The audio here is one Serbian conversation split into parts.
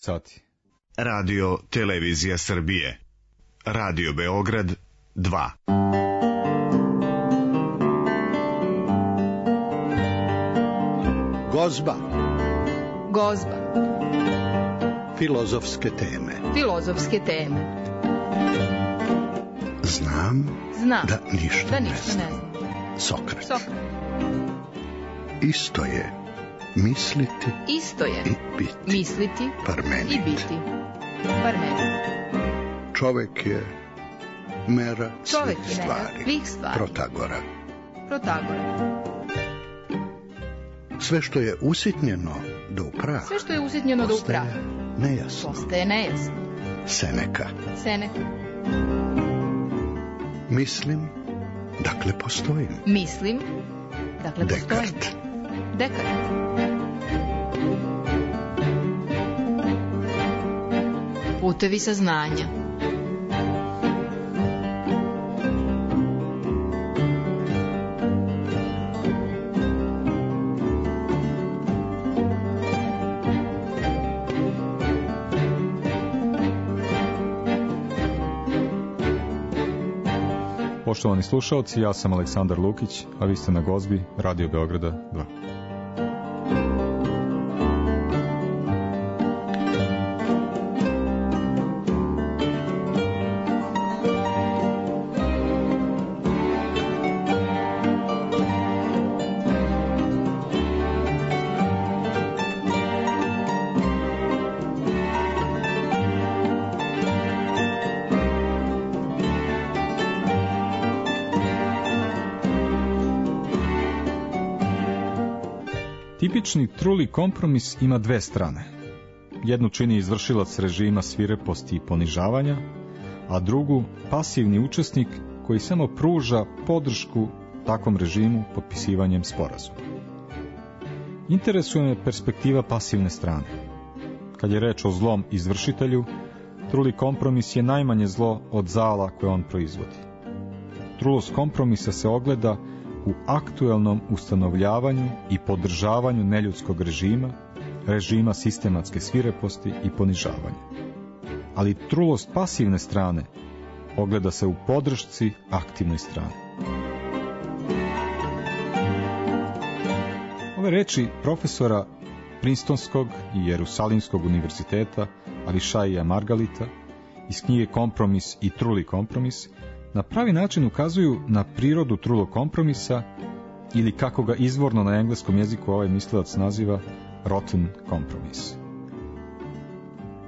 sati. Radio Televizija Srbije. Radio Beograd 2. Gozba. Gozba. Filozofske teme. Filozofske teme. Znam da ništa ne znam. Sokrat. Isto je misliti i biti. Misliti Parmenid. i biti. Parmenid. Čovek je mera svih stvari. Protagora. Sve što je usitnjeno do upraha. Postaje nejasno. Seneka. Mislim, dakle postojim. Dekart. Putevi saznanja. Poštovani slušalci, ja sam Aleksandar Lukić, a vi ste na Gozbi Radio Beograda 2. Tipični truli kompromis ima dve strane. Jednu čini izvršilac režima svireposti i ponižavanja, a drugu pasivni učesnik koji samo pruža podršku takvom režimu potpisivanjem sporazuma. Interesuje me perspektiva pasivne strane. Kad je reč o zlom izvršitelju, truli kompromis je najmanje zlo od zala koje on proizvodi. Trulost kompromisa se ogleda u aktuelnom ustanovljavanju i podržavanju neljudskog režima sistematske svireposti i ponižavanja. Ali trulost pasivne strane ogleda se u podršci aktivnoj strani. Ove reči profesora Princetonskog i Jerusalimskog univerziteta Avishaija Margalita iz knjige Kompromis i truli kompromis na pravi način ukazuju na prirodu trulog kompromisa ili kako ga izvorno na engleskom jeziku ovaj mislilac naziva rotten compromise.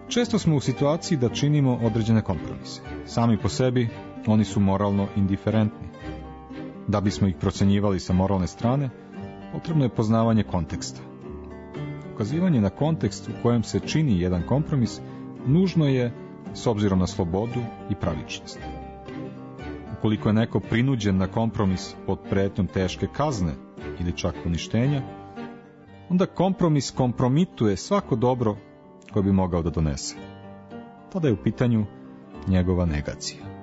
Često smo u situaciji da činimo određene kompromise. Sami po sebi oni su moralno indiferentni. Da bismo ih procenjivali sa moralne strane, potrebno je poznavanje konteksta. Ukazivanje na kontekst u kojem se čini jedan kompromis nužno je s obzirom na slobodu i pravičnost. Ukoliko je neko prinuđen na kompromis pod pretnjom teške kazne ili čak uništenja, onda kompromis kompromituje svako dobro koje bi mogao da donese. Tada je u pitanju njegova negacija.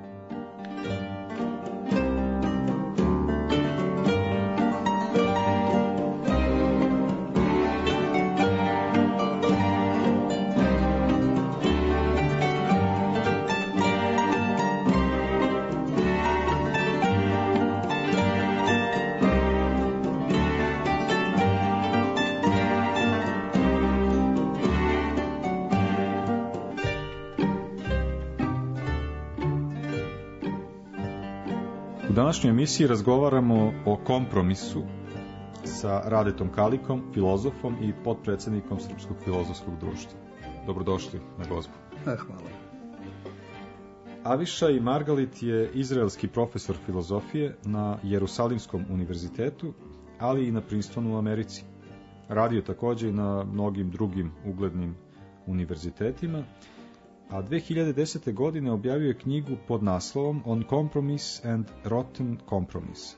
U današnjoj emisiji razgovaramo o kompromisu sa Radetom Kalikom, filozofom i potpredsjednikom Srpskog filozofskog društva. Dobrodošli na Gozbu. Hvala. Avishai Margalit je izraelski profesor filozofije na Jerusalimskom univerzitetu, ali i na Princetonu u Americi. Radio također i na mnogim drugim uglednim univerzitetima, a 2010. godine objavio je knjigu pod naslovom On Compromise and Rotten Compromise.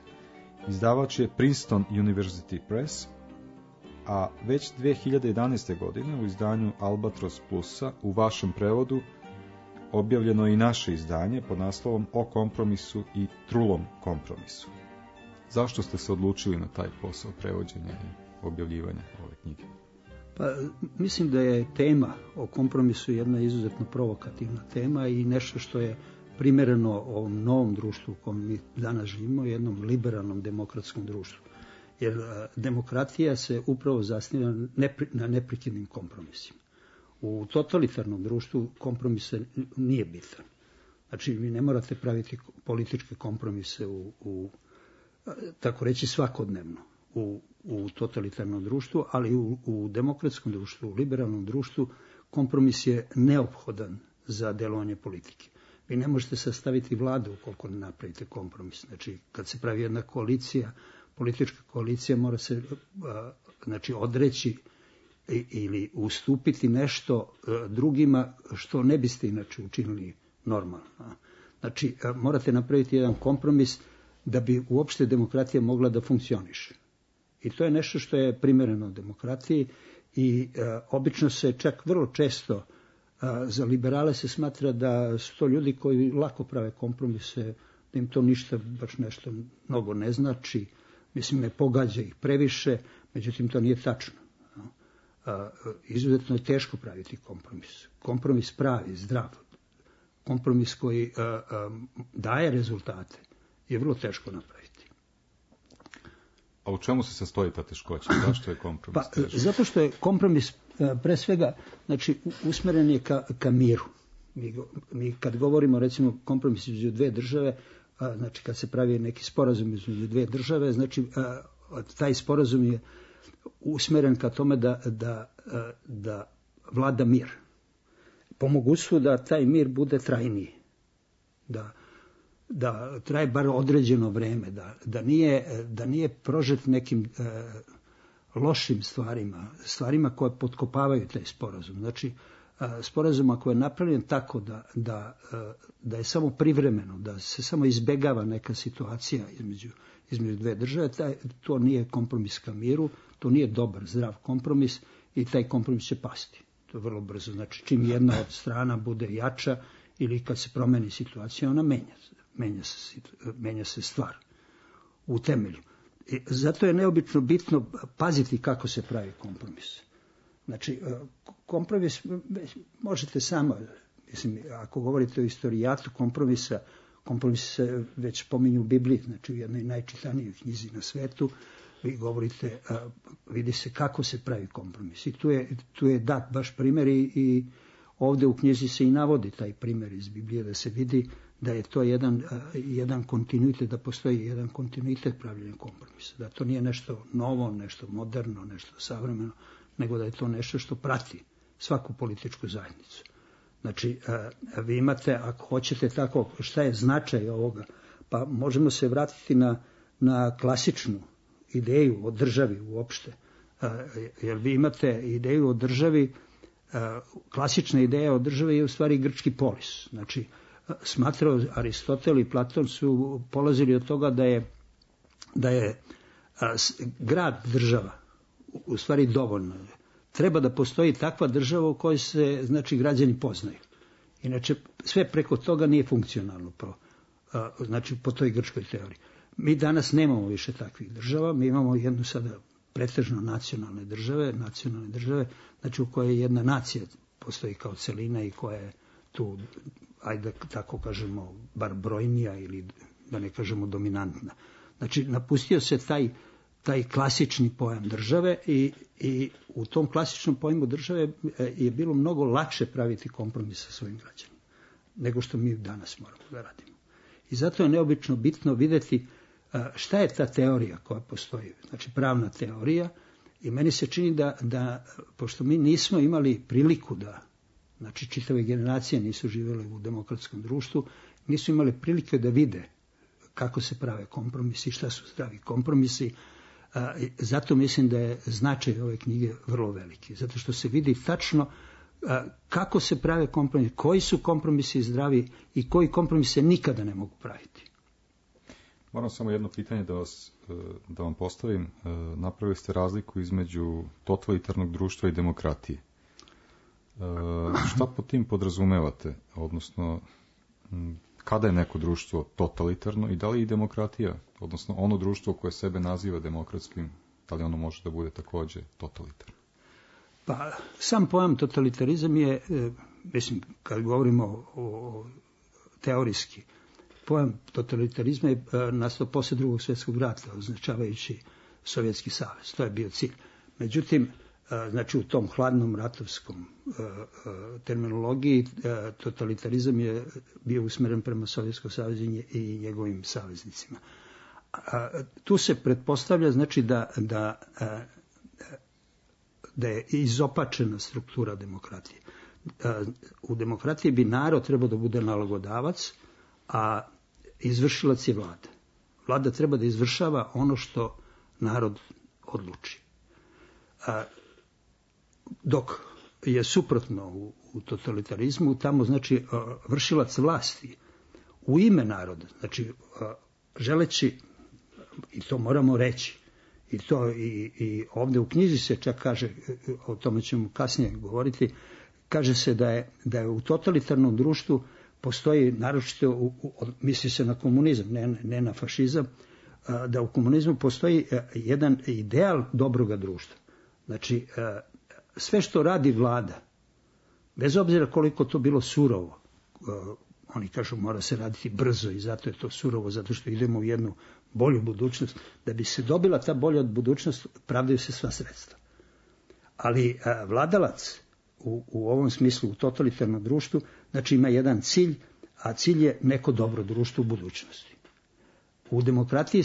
Izdavač je Princeton University Press, a već 2011. godine u izdanju Albatros Plusa u vašem prevodu objavljeno je i naše izdanje pod naslovom O kompromisu i trulom kompromisu. Zašto ste se odlučili na taj posao prevođenja i objavljivanja ove knjige? Pa mislim da je tema o kompromisu jedna izuzetno provokativna tema i nešto što je primereno ovom novom društvu u kojem mi danas živimo, jednom liberalnom demokratskom društvu. Jer demokratija se upravo zasniva na neprekidnim kompromisima. U totalitarnom društvu kompromis nije bitan. Znači, vi ne morate praviti političke kompromise tako reći svakodnevno u totalitarnom društvu, ali u demokratskom društvu, u liberalnom društvu kompromis je neophodan za delovanje politike. Vi ne možete sastaviti vladu ukoliko ne napravite kompromis. Znači, kad se pravi jedna koalicija, politička koalicija mora se odreći ili ustupiti nešto drugima što ne biste inače učinili normalno. Znači, morate napraviti jedan kompromis da bi uopšte demokratija mogla da funkcioniše. I to je nešto što je primereno demokratiji i obično se čak vrlo često za liberale se smatra da su to ljudi koji lako prave kompromise, da im to ništa, baš nešto mnogo ne znači, mislim ne pogađa ih previše, međutim to nije tačno. Izuzetno je teško praviti kompromis. Kompromis pravi, zdrav, kompromis koji daje rezultate je vrlo teško napraviti. A u čemu se sastoji ta teškoća? Zašto je kompromis teško? Zato što je kompromis pre svega usmeren je ka miru. Mi kad govorimo recimo kompromis između dve države, znači kad se pravi neki sporazum između dve države, znači taj sporazum je usmeren ka tome da vlada mir. Po mogućstvu da taj mir bude trajniji, da traje bar određeno vreme, da nije prožet nekim lošim stvarima koje potkopavaju taj sporazum. Znači, sporazum ako je napravljen tako da je samo privremeno, da se samo izbegava neka situacija između dve države, to nije kompromis ka miru, to nije dobar, zdrav kompromis i taj kompromis će pasti. To je vrlo brzo. Znači, čim jedna od strana bude jača ili kad se promeni situacija, ona menja se stvar u temelju. I zato je neobično bitno paziti kako se pravi kompromis. Znači, kompromis možete samo, mislim, ako govorite o istorijatu kompromisa, kompromis se već pominju u Bibliji, znači u jednoj najčitanijoj knjizi na svetu, vi govorite, vidi se kako se pravi kompromis. I tu je dat baš primjer i ovdje u knjizi se i navodi taj primjer iz Biblije, da se vidi da je to jedan kontinuitet, da postoji jedan kontinuitet pravljenja kompromisa. Da to nije nešto novo, nešto moderno, nešto savremeno, nego da je to nešto što prati svaku političku zajednicu. Znači, vi imate, ako hoćete tako, šta je značaj ovoga, pa možemo se vratiti na klasičnu ideju o državi uopšte. Jer vi imate ideju o državi, klasična ideja o državi je u stvari grčki polis. Znači, smatrao Aristotel i Platon su polazili od toga da je grad država u stvari dovoljno. Treba da postoji takva država u kojoj se, znači, građani poznaju. Inače, sve preko toga nije funkcionalno, znači po toj grčkoj teoriji. Mi danas nemamo više takvih država, mi imamo jednu sada pretežno nacionalne države, znači u kojoj jedna nacija postoji kao celina i koja je tu, ajde tako kažemo, bar brojnija ili da ne kažemo dominantna. Znači, napustio se taj klasični pojam države i u tom klasičnom pojmu države je bilo mnogo lakše praviti kompromis sa svojim građanima nego što mi danas moramo da radimo. I zato je neobično bitno vidjeti šta je ta teorija koja postoji, znači pravna teorija, i meni se čini da pošto mi nismo imali priliku znači čitave generacije nisu živjele u demokratskom društvu, nisu imali prilike da vide kako se prave kompromisi, šta su zdravi kompromisi. Zato mislim da je značaj ove knjige vrlo veliki, zato što se vidi tačno kako se prave kompromisi, koji su kompromisi zdravi i koji kompromise nikada ne mogu praviti. Moram samo jedno pitanje da vam postavim. Napravili ste razliku između totalitarnog društva i demokratije. Šta pod tim podrazumevate? Odnosno, kada je neko društvo totalitarno i da li i demokratija, odnosno ono društvo koje sebe naziva demokratskim, da li ono može da bude također totalitarno? Pa sam pojam totalitarizam je, mislim, kad govorimo o teorijski, pojam totalitarizma je nastao poslije Drugog svjetskog rata, označavajući Sovjetski savez. To je bio cilj. Međutim, znači u tom hladnom ratovskom terminologiji totalitarizam je bio usmjeren prema Sovjetskom savezu i njegovim saveznicima. Tu se pretpostavlja znači da je izopačena struktura demokratije. U demokratiji bi narod trebao da bude nalogodavac, a izvršilac je vlada. Vlada treba da izvršava ono što narod odluči. Dok je suprotno u totalitarizmu, tamo znači vršilac vlasti u ime naroda, znači želeći, i to moramo reći, i ovdje u knjizi se čak kaže, o tome ćemo kasnije govoriti, kaže se da je u totalitarnom društvu postoji, naročito misli se na komunizam, ne na fašizam, da u komunizmu postoji jedan ideal dobroga društva. Znači, sve što radi vlada, bez obzira koliko to bilo surovo, oni kažu mora se raditi brzo i zato je to surovo, zato što idemo u jednu bolju budućnost. Da bi se dobila ta bolja budućnost, pravdaju se sva sredstva. Ali vladalac u ovom smislu, u totalitarnom društvu, znači ima jedan cilj, a cilj je neko dobro društvo u budućnosti. U demokratiji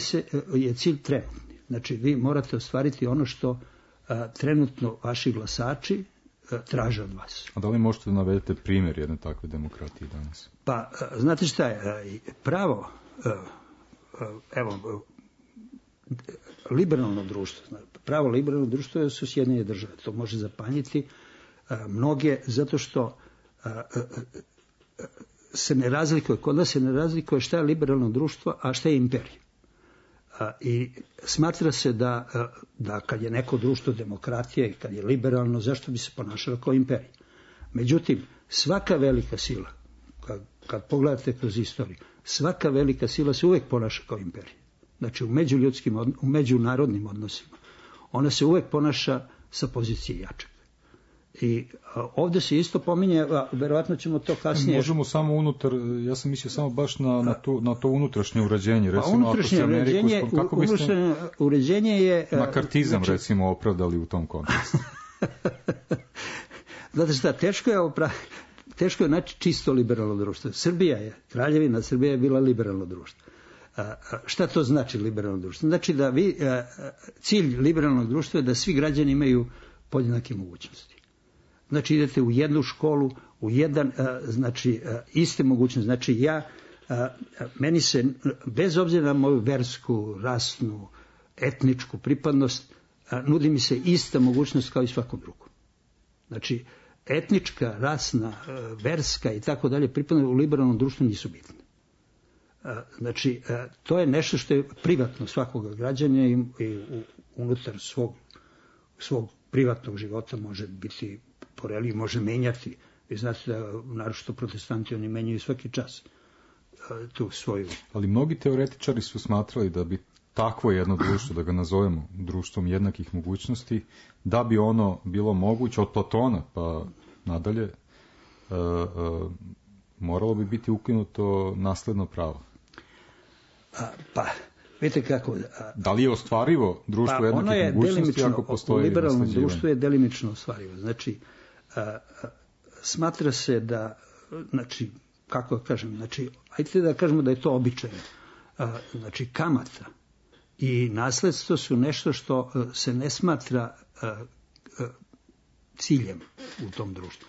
je cilj trenutni. Znači vi morate ostvariti ono što trenutno vaši glasači traže od vas. A da li možete da navedete primjer jedne takve demokratije danas? Pa, znate šta je, pravo, evo, liberalno društvo, pravo liberalno društvo su Sjedinjene države, to može zapanjiti mnoge, zato što se ne razlikuje, kod nas se ne razlikuje šta je liberalno društvo, a šta je imperija. I smatra se da kad je neko društvo demokratije i kad je liberalno, zašto bi se ponašalo kao imperija? Međutim, svaka velika sila, kad pogledate kroz istoriju, svaka velika sila se uvijek ponaša kao imperija. Znači u međunarodnim odnosima. Ona se uvijek ponaša sa pozicije jačeg. I ovdje se isto pominje, verovatno ćemo to kasnije... Možemo samo unutar, ja sam mislio samo baš na to unutrašnje uređenje. Recimo, unutrašnje uređenje je... Makartizam, znači, recimo, opravdali u tom kontekstu. Znate šta, teško je naći čisto liberalno društvo. Kraljevina Srbija je bila liberalno društvo. Šta to znači liberalno društvo? Znači da cilj liberalnog društva je da svi građani imaju podjednake mogućnosti. Znači idete u jednu školu, u jedan, znači iste mogućnosti. Znači meni se, bez obzira na moju versku, rasnu, etničku pripadnost, nudi mi se ista mogućnost kao i svakom drugom. Znači, etnička, rasna, verska i tako dalje pripadnost u liberalnom društvu nisu bitne. Znači, to je nešto što je privatno svakoga građana i unutar svog privatnog života može biti poreliji, može menjati. Vi znate da naročito protestanti oni menjaju svaki čas tu svoju. Ali mnogi teoretičari su smatrali da bi takvo jedno društvo, da ga nazovemo društvom jednakih mogućnosti, da bi ono bilo moguće od Platona pa nadalje, moralo bi biti ukinuto nasledno pravo. Pa, vidite kako... Da li je ostvarivo društvo jednakih mogućnosti ako postoji nasljeđivanje? U liberalnom društvu je delimično ostvarivo. Znači, smatra se da, znači, kako kažem, znači, ajte da kažemo da je to običajno. Znači, kamata i nasledstvo su nešto što se ne smatra ciljem u tom društvu.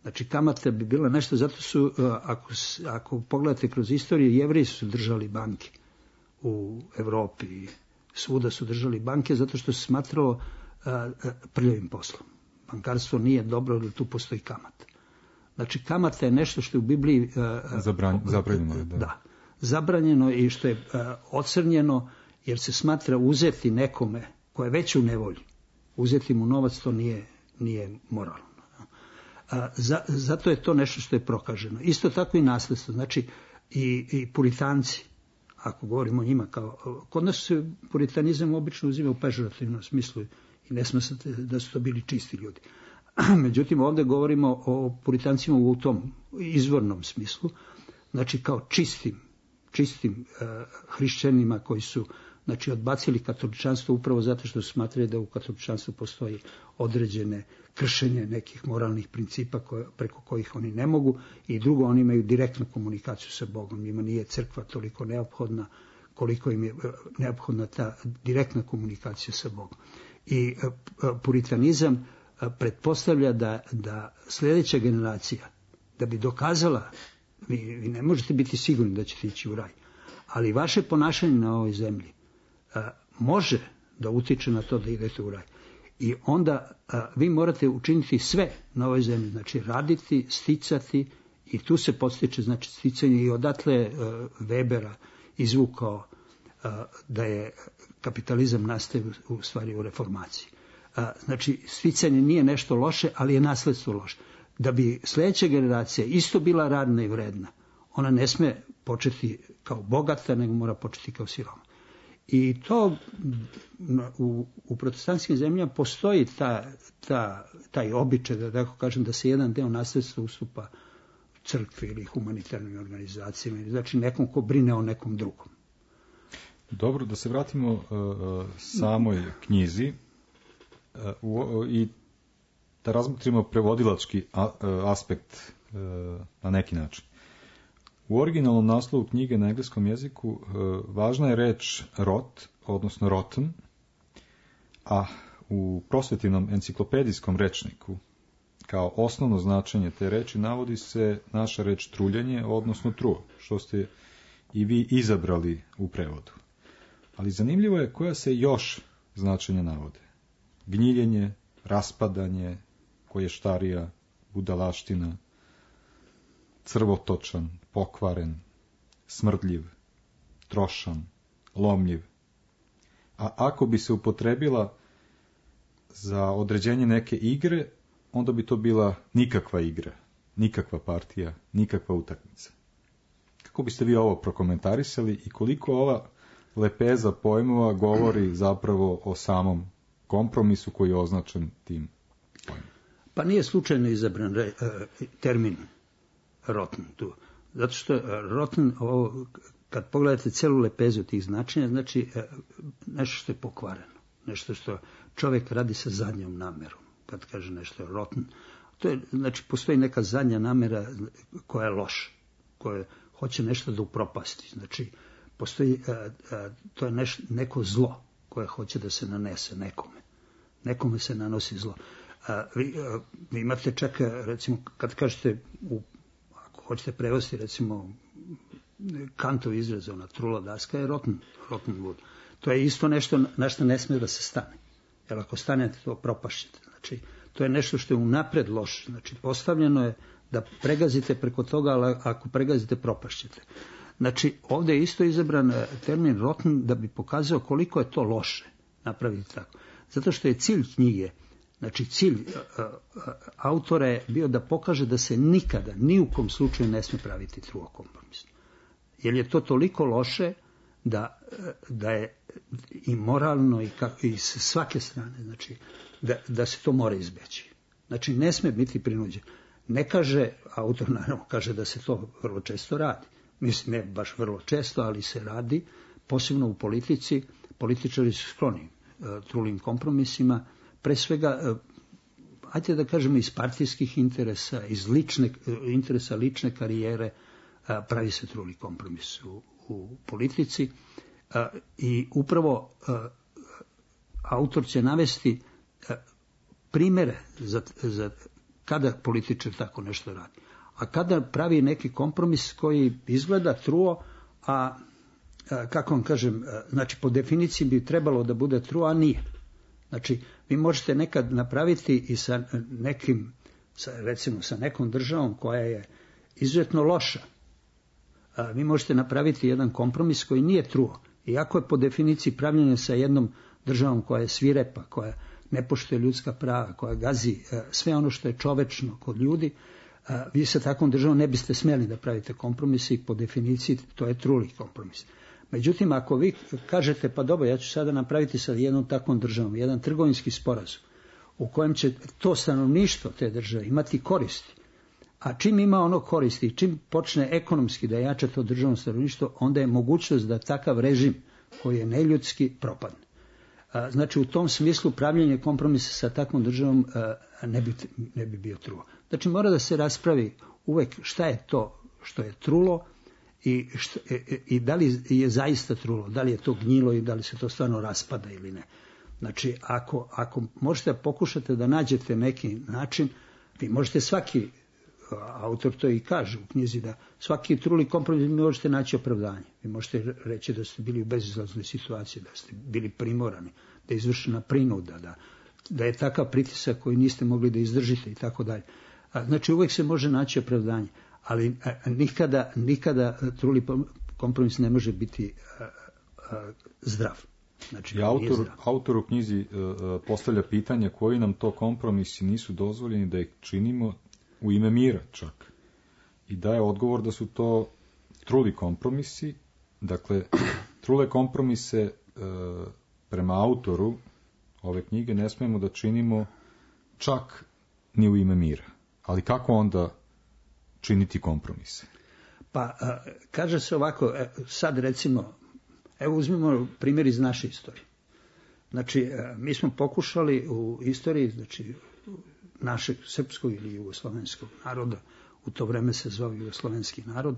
Znači, kamata bi bila nešto, zato su, ako pogledate kroz istoriju, Jevreji su držali banke u Evropi, svuda su držali banke, zato što se smatralo prljavim poslom. Bankarstvo nije dobro, jer tu postoji kamata. Znači, kamata je nešto što je u Bibliji zabranjeno. Da, zabranjeno i što je ocrnjeno, jer se smatra uzeti nekome ko je već u nevolji. Uzeti mu novac, to nije moralno. Zato je to nešto što je prokaženo. Isto tako i nasljedstvo. Znači, i puritanci, ako govorimo o njima kao... Kod nas se puritanizam obično uzima u pežorativnom smislu i ne smatrate da su to bili čisti ljudi. Međutim, ovdje govorimo o puritancima u tom izvornom smislu, znači kao čistim hrišćanima koji su odbacili katoličanstvo upravo zato što su smatrali da u katoličanstvu postoji određene kršenje nekih moralnih principa preko kojih oni ne mogu, i drugo, oni imaju direktnu komunikaciju sa Bogom. Njima nije crkva toliko neophodna koliko im je neophodna ta direktna komunikacija sa Bogom. I puritanizam pretpostavlja da sljedeća generacija, da bi dokazala, vi ne možete biti sigurni da ćete ići u raj, ali vaše ponašanje na ovoj zemlji može da utiče na to da idete u raj. I onda vi morate učiniti sve na ovoj zemlji, znači raditi, sticati, i tu se podstiče znači sticanje, i odatle Webera izvukao da je kapitalizam nastaje u stvari u reformaciji. Znači, sticanje nije nešto loše, ali je nasledstvo loše. Da bi sljedeća generacija isto bila radna i vredna, ona ne sme početi kao bogata, nego mora početi kao siroma. I to u protestantskim zemljama postoji taj običaj, da tako kažem, da se jedan deo nasledstva ustupa crkvi ili humanitarnim organizacijama, znači nekom ko brine o nekom drugom. Dobro, da se vratimo samoj knjizi i da razmotrimo prevodilački aspekt na neki način. U originalnom naslovu knjige na engleskom jeziku važna je reč rot, odnosno rotten, a u prosvetivnom enciklopedijskom rečniku kao osnovno značenje te reči navodi se naša reč truljenje, odnosno truo, što ste i vi izabrali u prevodu. Ali zanimljivo je koja se još značenja navode. Gnjiljenje, raspadanje, koještarija, budalaština, crvotočan, pokvaren, smrdljiv, trošan, lomljiv. A ako bi se upotrebila za određenje neke igre, onda bi to bila nikakva igra, nikakva partija, nikakva utakmica. Kako biste vi ovo prokomentarisali i koliko ova lepeza pojmova govori zapravo o samom kompromisu koji je označen tim pojmom? Pa nije slučajno izabran termin rotten tu. Zato što rotten, kad pogledate celu lepezu tih značenja, znači nešto što je pokvareno, nešto što čovjek radi sa zadnjom namerom. Kad kaže nešto je rotten, to je, znači postoji neka zadnja namera koja je loša, koja hoće nešto da upropasti. Znači postoji, to je neko zlo koje hoće da se nanese nekome. Nekome se nanosi zlo. Vi imate čak, recimo, kad kažete, ako hoćete prevesti, recimo, Kantov izraz, ona trula daska je rotten wood. To je isto nešto na što ne smije da se stane. Jer ako stanete, to propašćete. Znači, to je nešto što je unapred loše. Znači, postavljeno je da pregazite preko toga, ali ako pregazite, propašćete. Znači, ovdje je isto izabran termin rotten da bi pokazao koliko je to loše napraviti tako. Zato što je cilj knjige, znači cilj autora je bio da pokaže da se nikada, ni u kom slučaju ne smije praviti truo kompromis. Jer je to toliko loše da je i moralno i s svake strane, znači da se to mora izbeći. Znači ne smije biti prinuđen. Ne kaže, autor naravno kaže da se to vrlo često radi. Mislim, ne baš vrlo često, ali se radi, posebno u politici. Političari su skloni trulim kompromisima, pre svega, ajde da kažemo, iz partijskih interesa, iz interesa lične karijere, pravi se truli kompromis u politici. I upravo autor će navesti primere za kada političar tako nešto radi. A kada pravi neki kompromis koji izgleda truo, a kako vam kažem, znači po definiciji bi trebalo da bude truo, a nije. Znači, vi možete nekad napraviti i sa nekim, recimo sa nekom državom koja je izuzetno loša. Vi možete napraviti jedan kompromis koji nije truo. Iako je po definiciji pravljeno sa jednom državom koja je svirepa, koja ne poštuje ljudska prava, koja gazi sve ono što je čovečno kod ljudi, vi sa takvom državom ne biste smjeli da pravite kompromis i po definiciji to je truli kompromis. Međutim, ako vi kažete, pa dobro, ja ću sada napraviti sa jednom takvom državom jedan trgovinski sporazum u kojem će to stanovništvo te države imati koristi. A čim ima ono koristi, čim počne ekonomski da jača to državno stanovništvo, onda je mogućnost da takav režim koji je neljudski propadne. Znači u tom smislu pravljenje kompromisa sa takvom državom ne bi bio trulo. Znači mora da se raspravi uvek šta je to što je trulo i da li je zaista trulo, da li je to gnjilo i da li se to stvarno raspada ili ne. Znači ako možete pokušati da nađete neki način, vi možete svaki, autor to i kaže u knjizi, da svaki truli kompromis možete naći opravdanje. Vi možete reći da ste bili u bezizlaznoj situaciji, da ste bili primorani, da je izvršena prinuda, da je takav pritisak koji niste mogli da izdržite i tako dalje. Znači uvek se može naći opravdanje, ali nikada truli kompromis ne može biti zdrav. Znači, autor u knjizi postavlja pitanje koji nam to kompromisi nisu dozvoljeni da ih činimo u ime mira čak. I daje odgovor da su to truli kompromisi. Dakle, trule kompromise prema autoru ove knjige ne smijemo da činimo čak ni u ime mira. Ali kako onda činiti kompromise? Pa, kaže se ovako, sad recimo, evo uzmimo primjer iz naše istorije. Znači, mi smo pokušali u istoriji, znači, našeg srpskog ili jugoslovenskog naroda, u to vreme se zove jugoslovenski narod,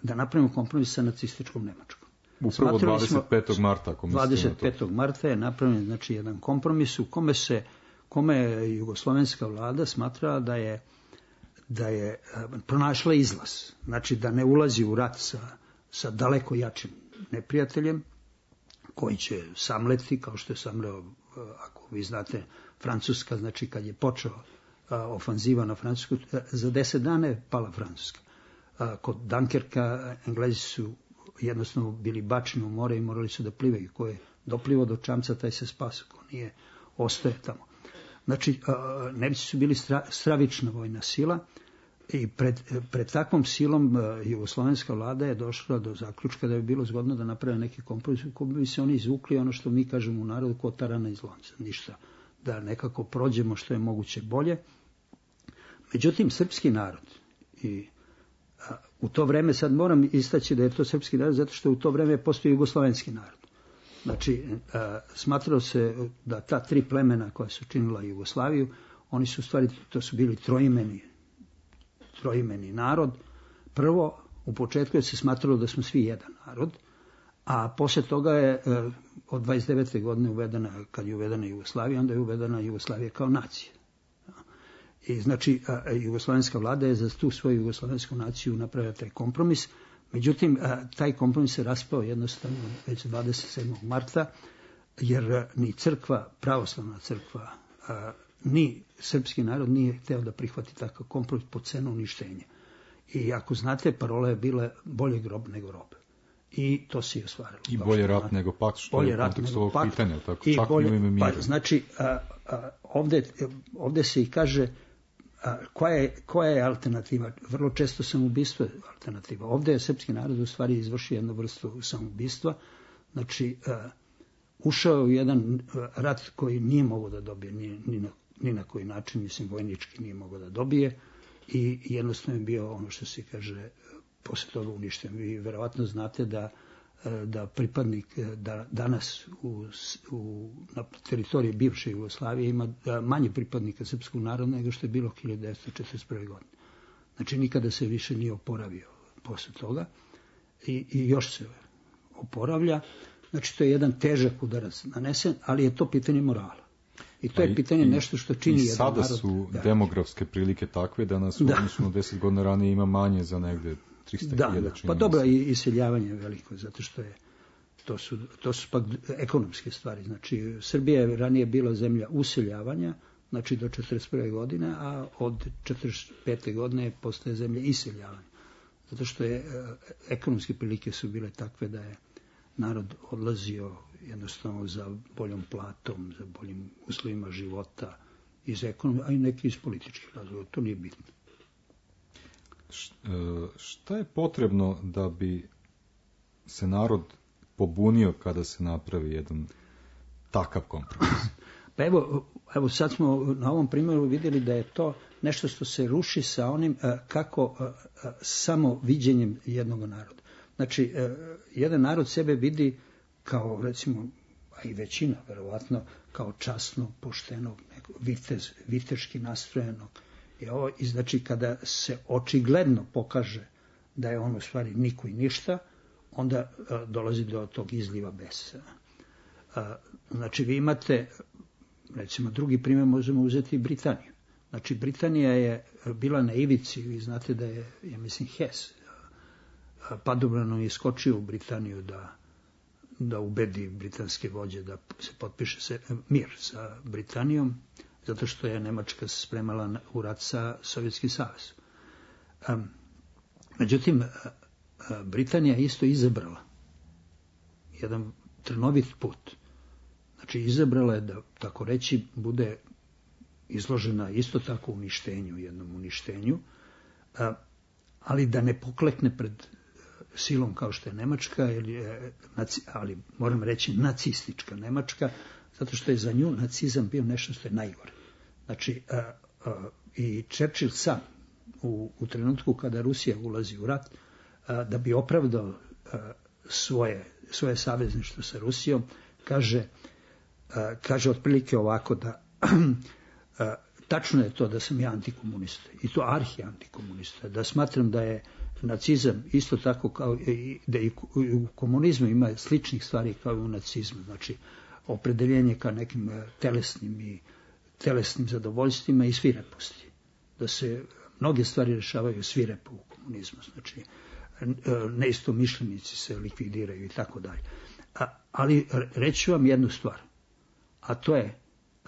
da napravimo kompromis sa nacističkom Nemačkom. Upravo 25. marta. 25. marta je napravljen, znači, jedan kompromis u kome je jugoslovenska vlada smatrala da je pronašla izlaz. Znači, da ne ulazi u rat sa daleko jačim neprijateljem, koji će samleti, kao što je samleo, ako vi znate, Francuska, znači kad je počeo ofanziva na Francusku, za 10 dana je pala Francuska. Kod Dunkerka Englezi su jednostavno bili bačeni u more i morali su da plivaju. Ko je doplivao do čamca, taj se spasao, ko nije, ostaje tamo. Znači, Nemci su bili stravična vojna sila i pred takvom silom jugoslovenska vlada je došla do zaključka da bi bilo zgodno da naprave neki kompromis u kojem bi se oni izvukli ono što mi kažemo u narodu ko tarana iz lonca. Ništa, da nekako prođemo što je moguće bolje. Međutim, srpski narod i u to vreme, sad moram istaći da je to srpski narod zato što u to vreme postoji jugoslovenski narod. Znači, smatralo se da ta tri plemena koja su činila Jugoslaviju, oni su u stvari, to su bili troimeni narod. Prvo, u početku je se smatralo da smo svi jedan narod, a posle toga je od 29. godine uvedena, kad je uvedena Jugoslavija, onda je uvedena Jugoslavija kao nacija. I znači, jugoslovenska vlada je za tu svoju jugoslovensku naciju napravila taj kompromis. Međutim, taj kompromis se raspao jednostavno već 27. marta, jer ni crkva, pravoslavna crkva, ni srpski narod nije hteo da prihvati takav kompromis po cenu uništenja. I ako znate, parola je bila bolje grob nego rob. I to se i ostvarilo. I bolje rat nego pakt, što je u kontekstu ovog pitanja, tako, čak i u ime mira. Znači, ovde se i kaže koja je alternativa. Vrlo često samoubistvo je alternativa. Ovde je srpski narod u stvari izvršio jednu vrstu samoubistva. Znači, ušao u jedan rat koji nije mogao da dobije ni na koji način, mislim, vojnički nije mogao da dobije i jednostavno je bio ono što se kaže posle toga uništen. Vi verovatno znate da pripadnik danas na teritoriji bivše Jugoslavije ima manje pripadnika srpskog naroda nego što je bilo 1941. godine. Znači nikada se više nije oporavio posle toga i još se oporavlja. Znači to je jedan težak udarac nanesen, ali je to pitanje morala. I to je pitanje nešto što čini jedan narod. I sada su demografske prilike takve da nas u odnosu na 10 godina ranije ima manje za negde 300.000. Pa dobro, i iseljavanje je veliko, zato što to su pak ekonomske stvari. Znači, Srbija je ranije bila zemlja useljavanja, znači do 1941. godine, a od 1945. godine postaje zemlja iseljavanja. Zato što ekonomske prilike su bile takve da je narod odlazio jednostavno za boljom platom, za boljim uslovima života, iz ekonomije, a i neki iz političkih razloga. To nije bitno. Šta je potrebno da bi se narod pobunio kada se napravi jedan takav kompromis? Pa evo sad smo na ovom primjeru vidjeli da je to nešto što se ruši sa onim kako samo viđenjem jednog naroda. Znači, jedan narod sebe vidi kao, recimo, a i većina, verovatno, kao časnog, poštenog, viteški nastrojenog. I znači, kada se očigledno pokaže da je on u stvari niko i ništa, onda dolazi do tog izliva besa. Znači, vi imate, recimo, drugi primjer možemo uzeti Britaniju. Znači, Britanija je bila na ivici, vi znate da je, ja mislim, Hess padobranom iskočio u Britaniju da ubedi britanske vođe da se potpiše mir sa Britanijom, zato što je Nemačka se spremala u rat sa Sovjetskim savezom. Međutim, Britanija isto izabrala jedan trnovit put. Znači, izabrala je da, tako reći, bude izložena isto tako jednom uništenju, ali da ne poklekne pred silom kao što je Nemačka, ali moram reći nacistička Nemačka, zato što je za nju nacizam bio nešto što je najgore. Znači, i Churchill sam u trenutku kada Rusija ulazi u rat, da bi opravdao svoje savezništvo sa Rusijom, kaže otprilike ovako da tačno je to da sam ja antikomunista, i to arhi-antikomunista, da smatram da je nacizam isto tako kao da i u komunizmu ima sličnih stvari kao i u nacizmu, znači opredeljenje ka nekim telesnim zadovoljstvima i svireposti, da se mnoge stvari rešavaju svirepo u komunizmu, znači neistomišljenici se likvidiraju i tako dalje. Ali reći ću vam jednu stvar, a to je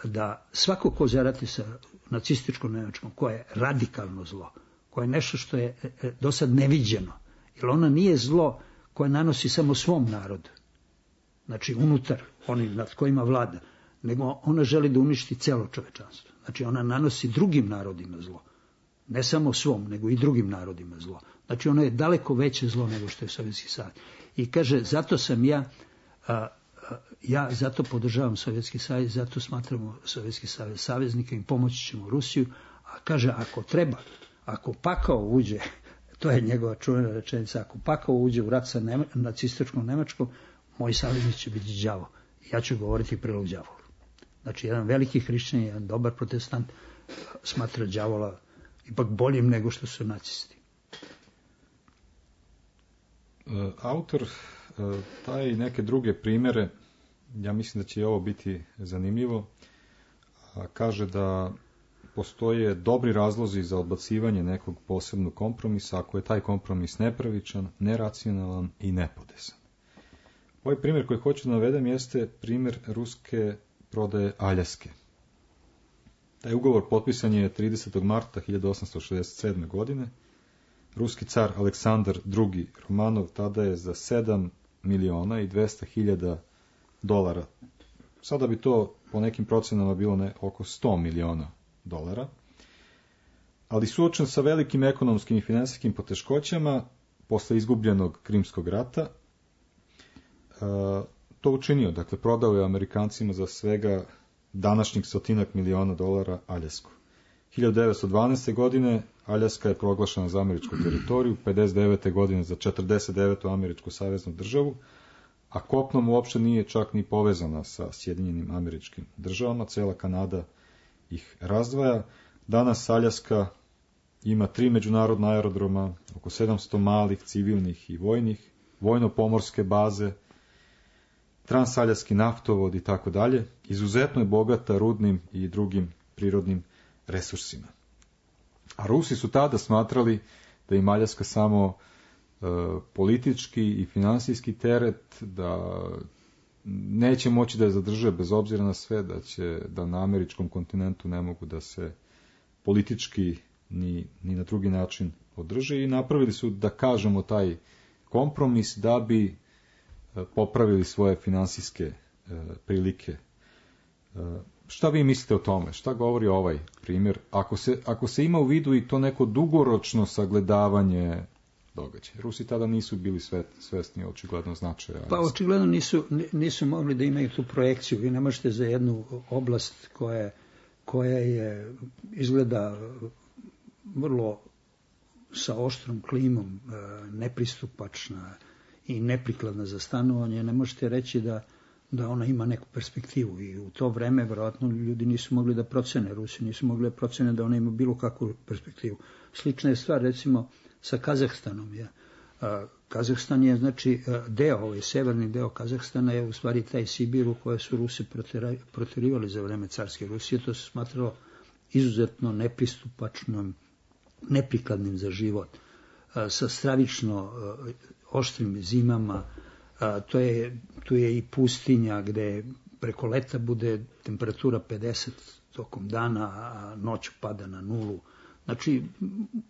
da svako ko zarati sa nacističkom Nemačkom, koja je radikalno zlo, koja je nešto što je do sad neviđeno, jer ona nije zlo koje nanosi samo svom narodu, znači unutar onih nad kojima vlada, nego ona želi da uništi celo čovečanstvo. Znači ona nanosi drugim narodima zlo, ne samo svom, nego i drugim narodima zlo. Znači ono je daleko veće zlo nego što je Sovjetski savez. I kaže, zato sam ja zato podržavam Sovjetski savez, zato smatramo Sovjetski savez saveznika i pomoći ćemo Rusiju, a kaže, ako treba, ako pakao uđe, to je njegova čuvena rečenica, ako pakao uđe u rat sa nacističkom Nemačkom, moj saveznik će biti đavo. Ja ću govoriti prilog đavolu. Znači, jedan veliki hrišćanin, jedan dobar protestant smatra đavola ipak boljim nego što su nacisti. Autor daje i neke druge primjere, ja mislim da će i ovo biti zanimljivo, kaže da postoje dobri razlozi za odbacivanje nekog posebnog kompromisa ako je taj kompromis nepravičan, neracionalan i nepodesan. Ovaj primjer koji hoću da navedem jeste primjer ruske prodaje Aljaske. Taj ugovor potpisan je 30. marta 1867. godine. Ruski car Aleksandar II. Romanov tada je za 7.200.000 dolara. Sada bi to po nekim procenama bilo oko 100 miliona dolara. Ali suočen sa velikim ekonomskim i finansijskim poteškoćama posle izgubljenog Krimskog rata, to učinio. Dakle, prodao je Amerikancima za svega današnjih 100 miliona dolara Aljasku. 1912. godine Aljaska je proglašena za američku teritoriju, 59. godine za 49. američku saveznu državu, a kopnom uopšte nije čak ni povezana sa Sjedinjenim Američkim Državama, cela Kanada ih razdvaja. Danas Aljaska ima 3 međunarodna aerodroma, oko 700 malih, civilnih i vojnih, vojno-pomorske baze, transaljaski naftovod i tako dalje. Izuzetno je bogata rudnim i drugim prirodnim resursima. A Rusi su tada smatrali da im Aljaska samo politički i finansijski teret, da neće moći da je zadrže bez obzira na sve, da na američkom kontinentu ne mogu da se politički ni na drugi način održe, i napravili su, da kažemo, taj kompromis da bi popravili svoje finansijske prilike. Šta vi mislite o tome? Šta govori ovaj primjer? Ako se ima u vidu i to neko dugoročno sagledavanje događaj. Rusi tada nisu bili svesni očigledno značaja. Pa očigledno nisu mogli da imaju tu projekciju. Vi ne možete za jednu oblast koja je izgleda vrlo sa oštrom klimom, nepristupačna i neprikladna za stanovanje, ne možete reći da ona ima neku perspektivu. I u to vreme, verovatno, ljudi nisu mogli da procene, Rusi nisu mogli da procene da ona ima bilo kakvu perspektivu. Slična je stvar, recimo, sa Kazahstanom. Kazahstan je, znači, severni deo Kazahstana je u stvari taj Sibir u koje su Rusi proterivali za vreme carske Rusije. To se smatralo izuzetno nepristupačnom, neprikladnim za život, sa stravično oštrim zimama. Tu je i pustinja gde preko leta bude temperatura 50 tokom dana, a noću pada na 0. Znači,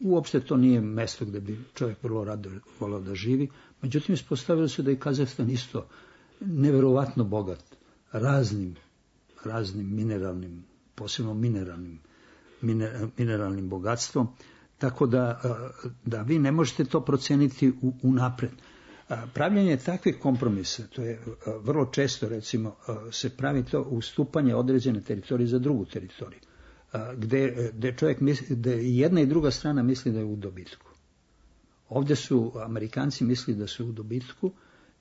uopšte to nije mesto gde bi čovjek vrlo rado volao da živi. Međutim, ispostavilo se da je Kazahstan isto neverovatno bogat raznim mineralnim, posebno mineralnim bogatstvom, tako da vi ne možete to proceniti unapred. Pravljenje takvih kompromisa, to je vrlo često, recimo, se pravi to ustupanje određene teritorije za drugu teritoriju, gde čovjek misli, da jedna i druga strana misli da je u dobitku. Ovdje su Amerikanci mislili da su u dobitku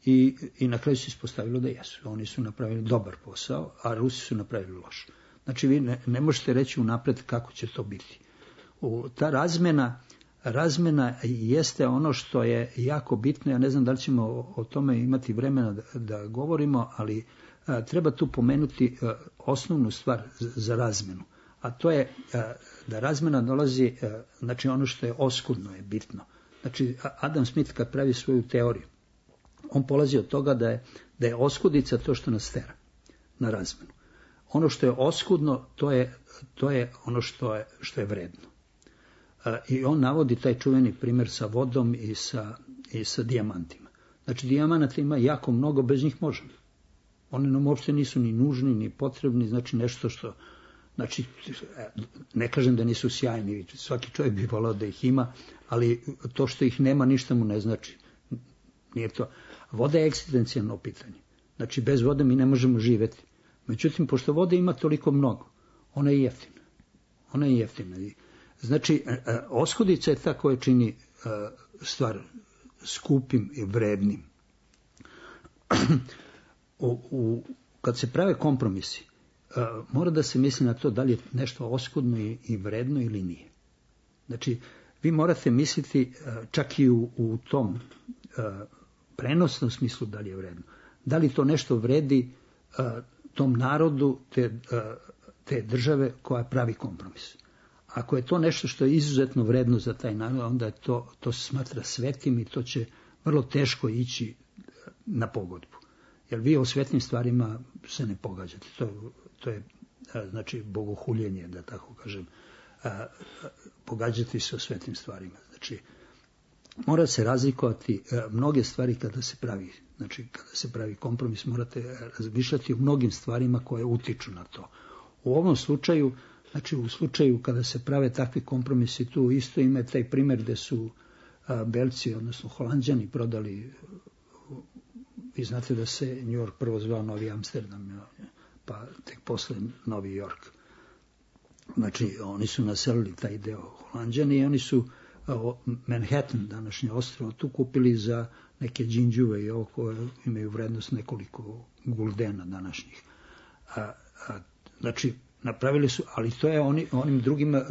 i na kraju se ispostavilo da jesu. Oni su napravili dobar posao, a Rusi su napravili loš. Znači, vi ne možete reći unapred kako će to biti. Ta razmena jeste ono što je jako bitno. Ja ne znam da li ćemo o tome imati vremena da govorimo, ali treba tu pomenuti osnovnu stvar za razmenu. A to je da razmena dolazi, znači ono što je oskudno je bitno. Znači, Adam Smith kad pravi svoju teoriju, on polazi od toga da je oskudica to što nas tera na razmenu. Ono što je oskudno, to je ono što je vredno. I on navodi taj čuveni primjer sa vodom i sa dijamantima. Znači, dijamanata ima jako mnogo, bez njih možemo. Oni nam uopšte nisu ni nužni, ni potrebni, znači nešto što... Znači, ne kažem da nisu sjajni, svaki čovjek bi volao da ih ima, ali to što ih nema ništa mu ne znači. Nije to. Voda je egzistencijalno pitanje. Znači, bez vode mi ne možemo živjeti. Međutim, pošto vode ima toliko mnogo, ona je jeftina. Znači, oskudica je ta koja čini stvar skupim i vrednim. Kad se prave kompromisi, mora da se misli na to da li je nešto oskudno i vredno ili nije. Znači, vi morate misliti čak i u tom prenosnom smislu da li je vredno. Da li to nešto vredi tom narodu te države koja pravi kompromis. Ako je to nešto što je izuzetno vredno za taj narod, onda je to se smatra svetim i to će vrlo teško ići na pogodbu. Jer vi o svetnim stvarima se ne pogađate. To je znači bogohuljenje, da tako kažem. Pogađati se o svetnim stvarima. Znači, mora se razlikovati mnoge stvari kada se pravi. Znači, kada se pravi kompromis, morate razmišljati o mnogim stvarima koje utiču na to. U ovom slučaju, znači u slučaju kada se prave takvi kompromisi, tu isto ima taj primjer gde su Belci, odnosno Holanđani, prodali, vi znate da se New York prvo zvao Novi Amsterdam, pa tek posle Novi York. Znači, oni su naselili taj deo Holanđani i oni su Manhattan, današnje ostrvo, tu kupili za neke džinđuve i ovo koje imaju vrednost nekoliko guldena današnjih. Znači, napravili su, ali to je onim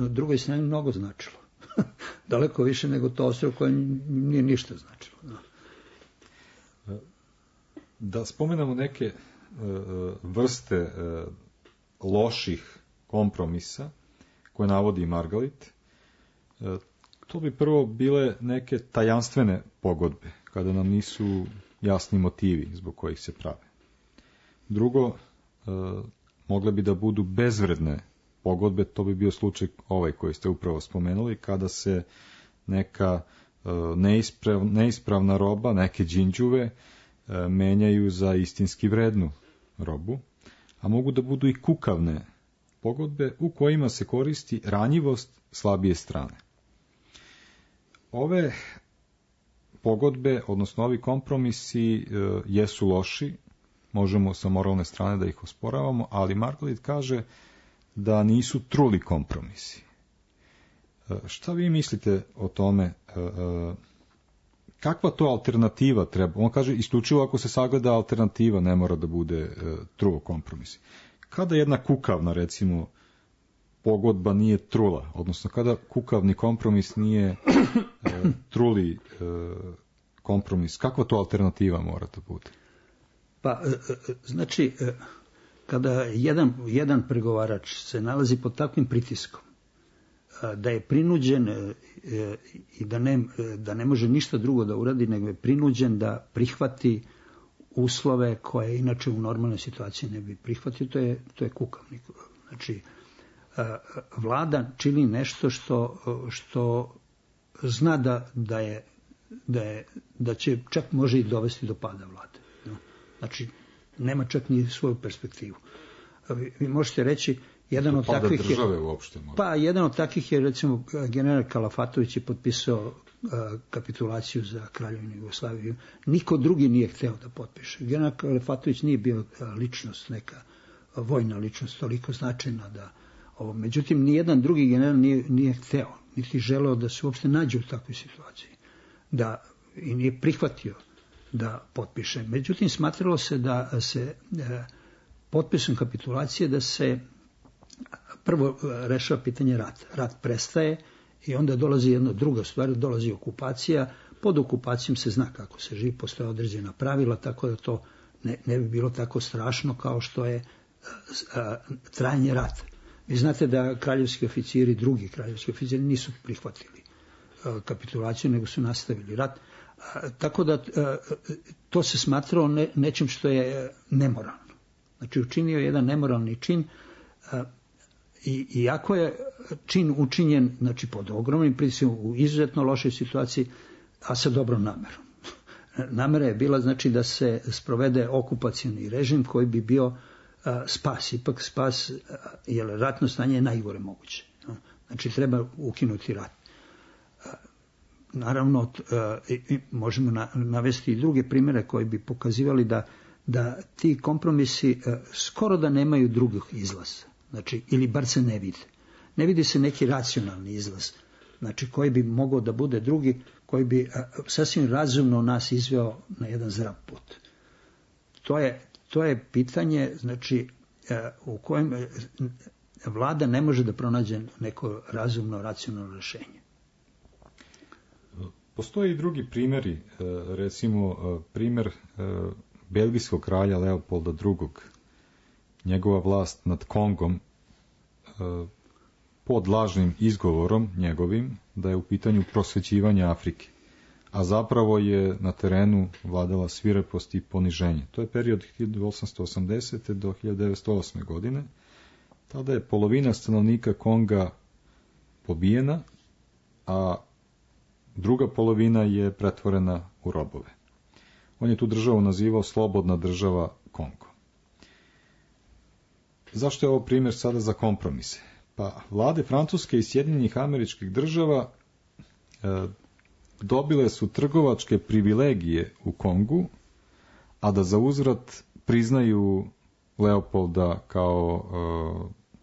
drugoj strani mnogo značilo. Daleko više nego to ostrvo koje nije ništa značilo. Da spomenemo neke vrste loših kompromisa koje navodi Margalit, to bi prvo bile neke tajanstvene pogodbe, kada nam nisu jasni motivi zbog kojih se prave. Drugo, mogle bi da budu bezvredne pogodbe, to bi bio slučaj ovaj koji ste upravo spomenuli, kada se neka neispravna roba, neke džinđuve, menjaju za istinski vrednu robu, a mogu da budu i kukavne pogodbe u kojima se koristi ranjivost slabije strane. Ove pogodbe, odnosno ovi kompromisi jesu loši, možemo sa moralne strane da ih osporavamo, ali Margalit kaže da nisu truli kompromisi. Šta vi mislite o tome? Kakva to alternativa treba? On kaže isključivo ako se sagleda alternativa, ne mora da bude truo kompromis. Kada jedna kukavna, recimo, pogodba nije trula, odnosno kada kukavni kompromis nije truli kompromis, kakva to alternativa mora da bude? Pa, znači, kada jedan pregovarač se nalazi pod takvim pritiskom, da je prinuđen i da ne može ništa drugo da uradi, nego je prinuđen da prihvati uslove koje inače u normalnoj situaciji ne bi prihvatio, to je kukavnik. Znači, vlada čini nešto što zna da će čak može i dovesti do pada vlade. Znači, nema čak ni svoju perspektivu. Vi možete reći, jedan od takvih jedan od takvih je recimo general Kalafatović je potpisao kapitulaciju za Kraljevinu Jugoslaviju. Niko drugi nije hteo da potpiše. General Kalafatović nije bio ličnost, neka vojna ličnost toliko značajna da ovo. Međutim, nijedan drugi general nije hteo, niti želeo da se uopšte nađe u takvoj situaciji. I nije prihvatio da potpiše. Međutim, smatralo se da se potpisom kapitulacije da se prvo rešava pitanje rata. Rat prestaje i onda dolazi jedna druga stvar, dolazi okupacija. Pod okupacijom se zna kako se živi, postoje određena pravila, tako da to ne bi bilo tako strašno kao što je trajanje rata. Vi znate da kraljevski oficiri, drugi kraljevski oficiri nisu prihvatili kapitulaciju, nego su nastavili rat. Tako da to se smatralo nečim što je nemoralno. Znači, učinio jedan nemoralni čin, iako je čin učinjen, znači, pod ogromnim pritiskom, u izuzetno lošoj situaciji, a sa dobrom namerom. Namera je bila, znači, da se sprovede okupacioni režim koji bi bio spas, ipak spas, jer ratno stanje je najgore moguće. Znači, treba ukinuti rat. Naravno, možemo navesti i druge primjere koji bi pokazivali da ti kompromisi skoro da nemaju drugih izlaza. Znači, ili bar se ne vide. Ne vidi se neki racionalni izlaz, znači, koji bi mogao da bude drugi, koji bi sasvim razumno nas izveo na jedan zdrav put. To je pitanje, znači, u kojem vlada ne može da pronađe neko razumno, racionalno rješenje. Postoje i drugi primjeri, recimo primjer belgijskog kralja Leopolda II. Njegova vlast nad Kongom pod lažnim izgovorom njegovim da je u pitanju prosvećivanje Afrike, a zapravo je na terenu vladala svirepost i poniženje. To je period 1880. do 1908. godine. Tada je polovina stanovnika Konga pobijena, a druga polovina je pretvorena u robove. On je tu državu nazivao slobodna država Kongo. Zašto je ovo primjer sada za kompromise? Pa vlade Francuske i Sjedinjenih Američkih Država dobile su trgovačke privilegije u Kongu, a da za uzvrat priznaju Leopolda kao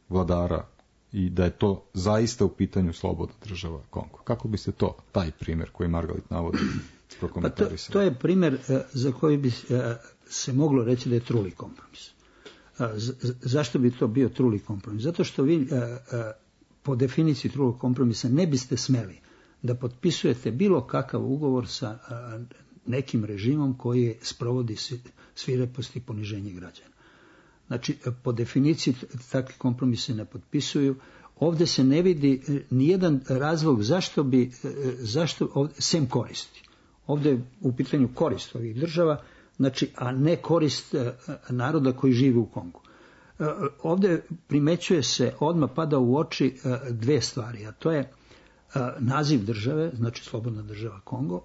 vladara i da je to zaista u pitanju slobodna država Kongo. Kako biste taj primjer koji Margalit navodi, prokomentarisali? Pa to je primjer za koji bi se moglo reći da je truli kompromis. Zašto bi to bio truli kompromis? Zato što vi po definiciji trulog kompromisa ne biste smeli da potpisujete bilo kakav ugovor sa nekim režimom koji sprovodi svirepost i poniženje građana. Znači, po definiciji takvi kompromise ne potpisuju. Ovdje se ne vidi nijedan razlog zašto sem koristi. Ovdje je u pitanju korist ovih država, znači, a ne korist naroda koji živi u Kongu. Ovdje primećuje se, odmah pada u oči dve stvari, a to je naziv države, znači slobodna država Kongo,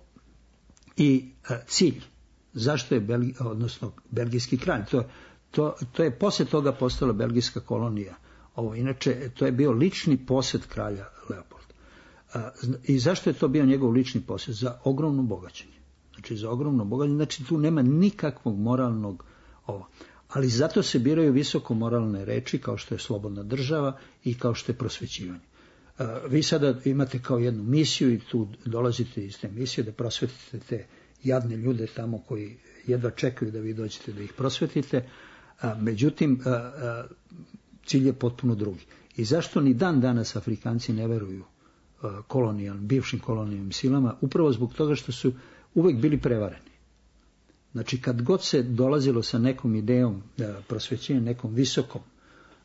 i cilj. Zašto je belgijski kralj? To je poslije toga postala belgijska kolonija. Inače, to je bio lični posjet kralja Leopolda. I zašto je to bio njegov lični posjet? Za ogromno bogaćenje. znači za ogromno bogatstvo, znači tu nema nikakvog moralnog ovo. Ali zato se biraju visoko moralne reči kao što je slobodna država i kao što je prosvećivanje. Vi sada imate kao jednu misiju i tu dolazite iz te misije da prosvetite te jadne ljude tamo koji jedva čekaju da vi dođete da ih prosvetite, međutim cilj je potpuno drugi. I zašto ni dan danas Afrikanci ne veruju bivšim kolonijalnim silama? Upravo zbog toga što su uvek bili prevareni. Znači kad god se dolazilo sa nekom idejom prosvećenja, nekom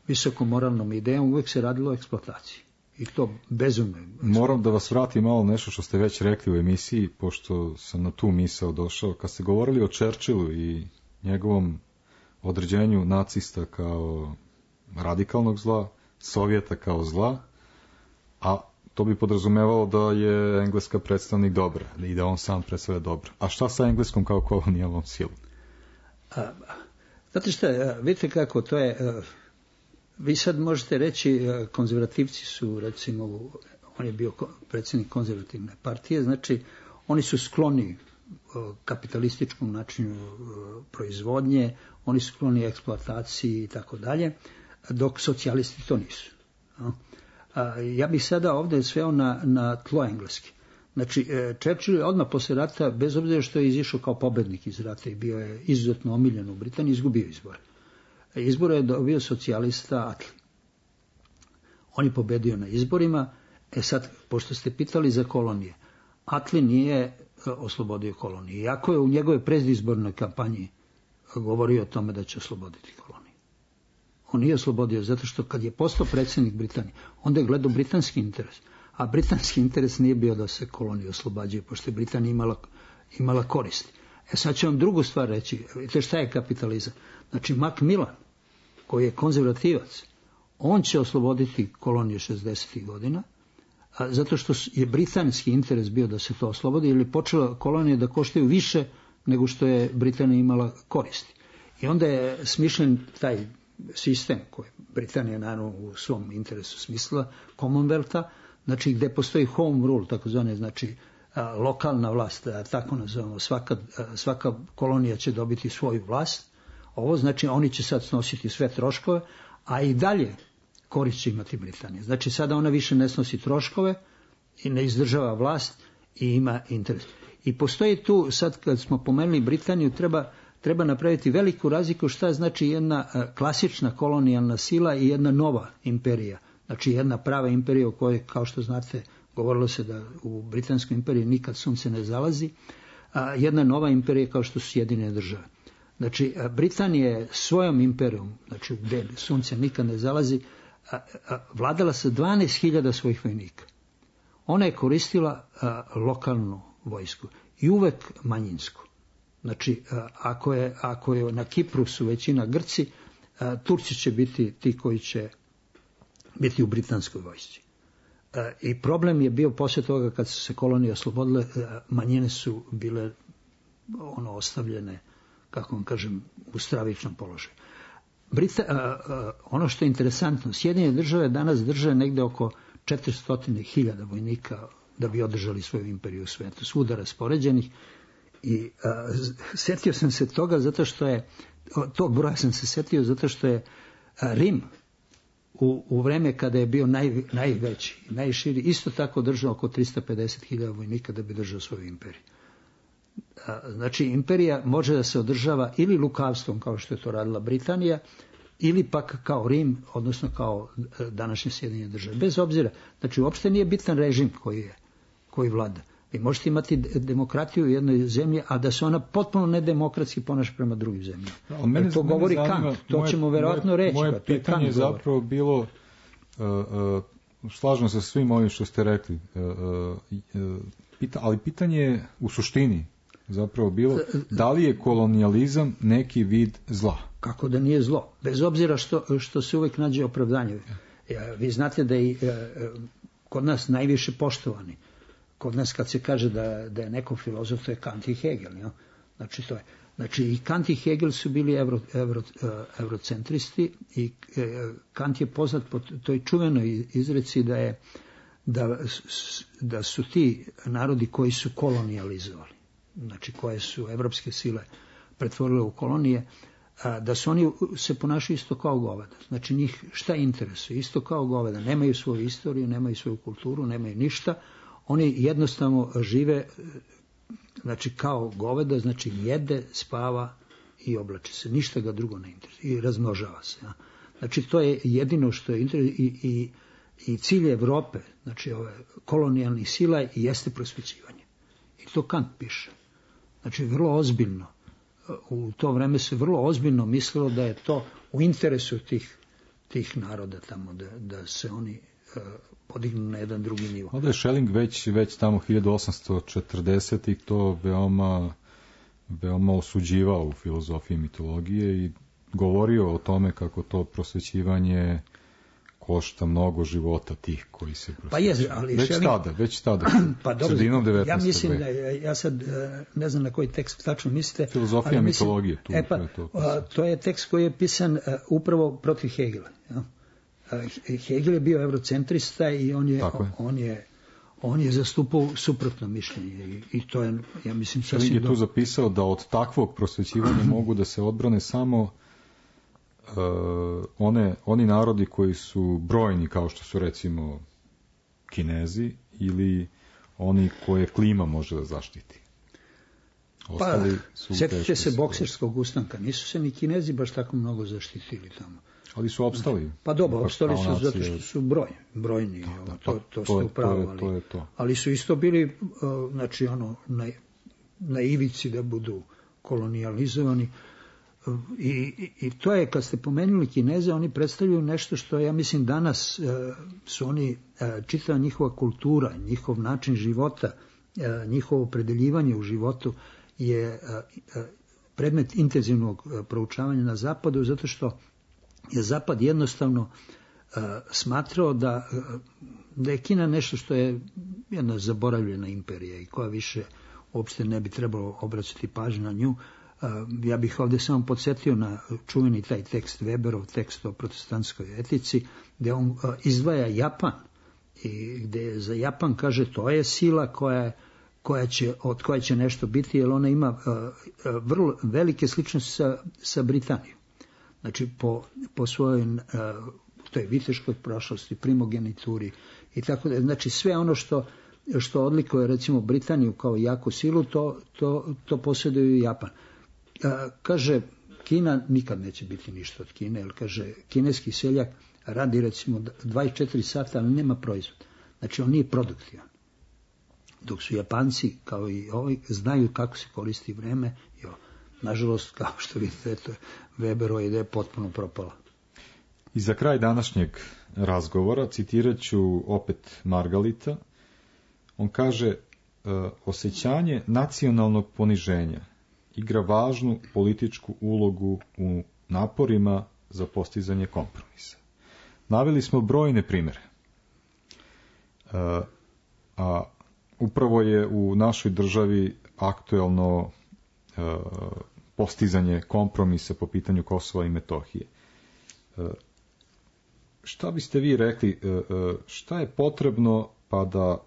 visokom moralnom idejom, uvek se radilo o eksploataciji. I to bezumno. Moram da vas vratim malo nešto što ste već rekli u emisiji, pošto sam na tu misao došao. Kad ste govorili o Churchillu i njegovom određenju nacista kao radikalnog zla, Sovjeta kao zla, a to bi podrazumevalo da je Engleska predstavnik dobra i da on sam predstavlja dobro. A šta sa Engleskom kao kolonijalnom silom? Znate šta, vidite kako to je. Vi sad možete reći, konzervativci su, recimo, on je bio predsjednik konzervativne partije, znači oni su skloni kapitalističkom načinu proizvodnje, oni su skloni eksploataciji i tako dalje, dok socijalisti to nisu. Ja bih sada ovdje sveo na tlo Engleske. Znači, Churchill je odmah posle rata, bez obzira što je izišao kao pobednik iz rata i bio je izuzetno omiljen u Britaniji, izgubio izbore. Izbore je dobio socijalista Attlee. On je pobedio na izborima. Sad, pošto ste pitali za kolonije, Attlee nije oslobodio kolonije. Iako je u njegove predizbornoj kampanji govorio o tome da će osloboditi kolonije. On nije oslobodio, zato što kad je postao predsjednik Britanije, onda je gledao britanski interes. A britanski interes nije bio da se kolonije oslobađaju, pošto je Britanija imala koristi. Sad ću vam drugu stvar reći. Vidite šta je kapitalizam? Znači, Macmillan, koji je konzervativac, on će osloboditi kolonije 60. godina, zato što je britanski interes bio da se to oslobodi, ili počela kolonije da koštaju više nego što je Britanija imala koristi. I onda je smišljen taj sistem koji Britanija naravno u svom interesu smislila, Commonwealtha, znači gde postoji home rule, takozvane, znači lokalna vlast, tako nazovemo, svaka kolonija će dobiti svoju vlast. Ovo znači oni će sad snositi sve troškove, a i dalje korist će imati Britanija. Znači sada ona više ne snosi troškove i ne izdržava vlast i ima interes. I postoji tu, sad kad smo pomenuli Britaniju, treba napraviti veliku razliku šta znači jedna klasična kolonijalna sila i jedna nova imperija. Znači jedna prava imperija u kojoj, kao što znate, govorilo se da u Britanskoj imperiji nikad sunce ne zalazi, a jedna nova imperija kao što su Sjedinjene Države. Znači, Britanija je svojom imperijom, znači gdje sunce nikad ne zalazi, vladala sa 12.000 svojih vojnika. Ona je koristila lokalnu vojsku i uvek manjinsku. Znači, ako je na Kipru su većina Grci, Turci će biti ti koji će biti u britanskoj vojsci. I problem je bio poslije toga kad su se kolonije oslobodile, manjine su bile ostavljene, kako vam kažem, u stravičnom položaju. Ono što je interesantno, Sjedinjene Države danas drže negde oko 400.000 vojnika da bi održali svoju imperiju u svetu, svuda raspoređenih. I setio sam se toga zato što je, tog broja sam se setio zato što je Rim u vreme kada je bio najveći, najširi, isto tako držao oko 350.000 vojnika da bi držao svoju imperiju. Znači, imperija može da se održava ili lukavstvom, kao što je to radila Britanija, ili pak kao Rim, odnosno kao današnje Sjedinjene Države. Bez obzira, znači uopšte nije bitan režim koji vlada. Vi možete imati demokratiju u jednoj zemlji, a da se ona potpuno nedemokratski ponaša prema drugim zemljama. To govori Kant, to ćemo verovatno reći. Moje pitanje je zapravo bilo, slažem se svim ovim što ste rekli, ali pitanje je u suštini zapravo bilo, da li je kolonijalizam neki vid zla? Kako da nije zlo? Bez obzira što se uvek nađe opravdanje. Vi znate da je kod nas najviše poštovani. Kod nas kad se kaže da je neko filozof, to je Kant i Hegel. Ja? Znači i Kant i Hegel su bili eurocentristi i Kant je poznat po toj čuvenoj izreci da su ti narodi koji su kolonijalizovali. znači koje su evropske sile pretvorile u kolonije, da su oni se ponašaju isto kao goveda. Znači njih šta interesuje? Isto kao goveda. Nemaju svoju istoriju, nemaju svoju kulturu, nemaju ništa. Oni jednostavno žive, znači kao goveda, znači jede, spava i oblači se. Ništa ga drugo ne interesuje i razmnožava se. Ja. Znači to je jedino što je interesuje i cilj Evrope, znači ove kolonijalnih sila jeste prosvećivanje. I to Kant piše. Znači vrlo ozbiljno. U to vreme se vrlo ozbiljno mislilo da je to u interesu tih naroda tamo, da se oni podignu na jedan drugi nivo. Ovdje je Schelling već tamo 1840-ih to veoma osuđivao u filozofiji mitologije i govorio o tome kako to prosvećivanje košta mnogo života tih koji se prosvećuju. Pa je, ali već tada, pa dobro, sredinom 19. Ja mislim da ja sad ne znam na koji tekst tačno mislite. Filozofija mitologije. To je tekst koji je pisan upravo protiv Hegela. Ja? Hegel je bio eurocentrista i on je zastupao suprotno mišljenje i to je, ja mislim, sasvim je tu zapisao da od takvog prosvećivanja mogu da se odbrane samo oni narodi koji su brojni, kao što su recimo Kinezi ili oni koje klima može da zaštiti. Sjetite se bokserskog ustanka, nisu se ni Kinezi baš tako mnogo zaštitili tamo. Ali su opstali. Pa dobro, opstali su zato što su brojni, to ste upravo, ali su isto bili, znači na ivici da budu kolonijalizovani. I to je, kad ste pomenuli Kineze, oni predstavljaju nešto što, ja mislim, danas su oni, čitava njihova kultura, njihov način života, njihovo opredeljivanje u životu je predmet intenzivnog proučavanja na zapadu, zato što je zapad jednostavno smatrao da je Kina nešto što je jedna zaboravljena imperija i koja više uopšte ne bi trebalo obraćati pažnju na nju. Ja bih ovdje samo podsjetio na čuveni taj tekst Weberov, tekst o protestantskoj etici, gdje on izdvaja Japan i gdje za Japan kaže to je sila od koje će nešto biti, jer ona ima vrlo velike sličnosti sa Britanijom. Znači po svojoj toj viteškoj prošlosti, primogenituri i tako da. Znači sve ono što odlikuje recimo Britaniju kao jaku silu, to posjeduje Japan. Kaže, Kina nikad neće biti ništa od Kine, jer kaže, kineski seljak radi recimo 24 sata, ali nema proizvod. Znači on nije produktivan. Dok su Japanci, kao i ovi, znaju kako se koristi vreme. Nažalost, kao što vidite, Weberova ideja potpuno propala. I za kraj današnjeg razgovora citirat ću opet Margalita. On kaže, osjećanje nacionalnog poniženja igra važnu političku ulogu u naporima za postizanje kompromisa. Naveli smo brojne primjere. A upravo je u našoj državi aktuelno postizanje kompromisa po pitanju Kosova i Metohije. Šta biste vi rekli, šta je potrebno pa da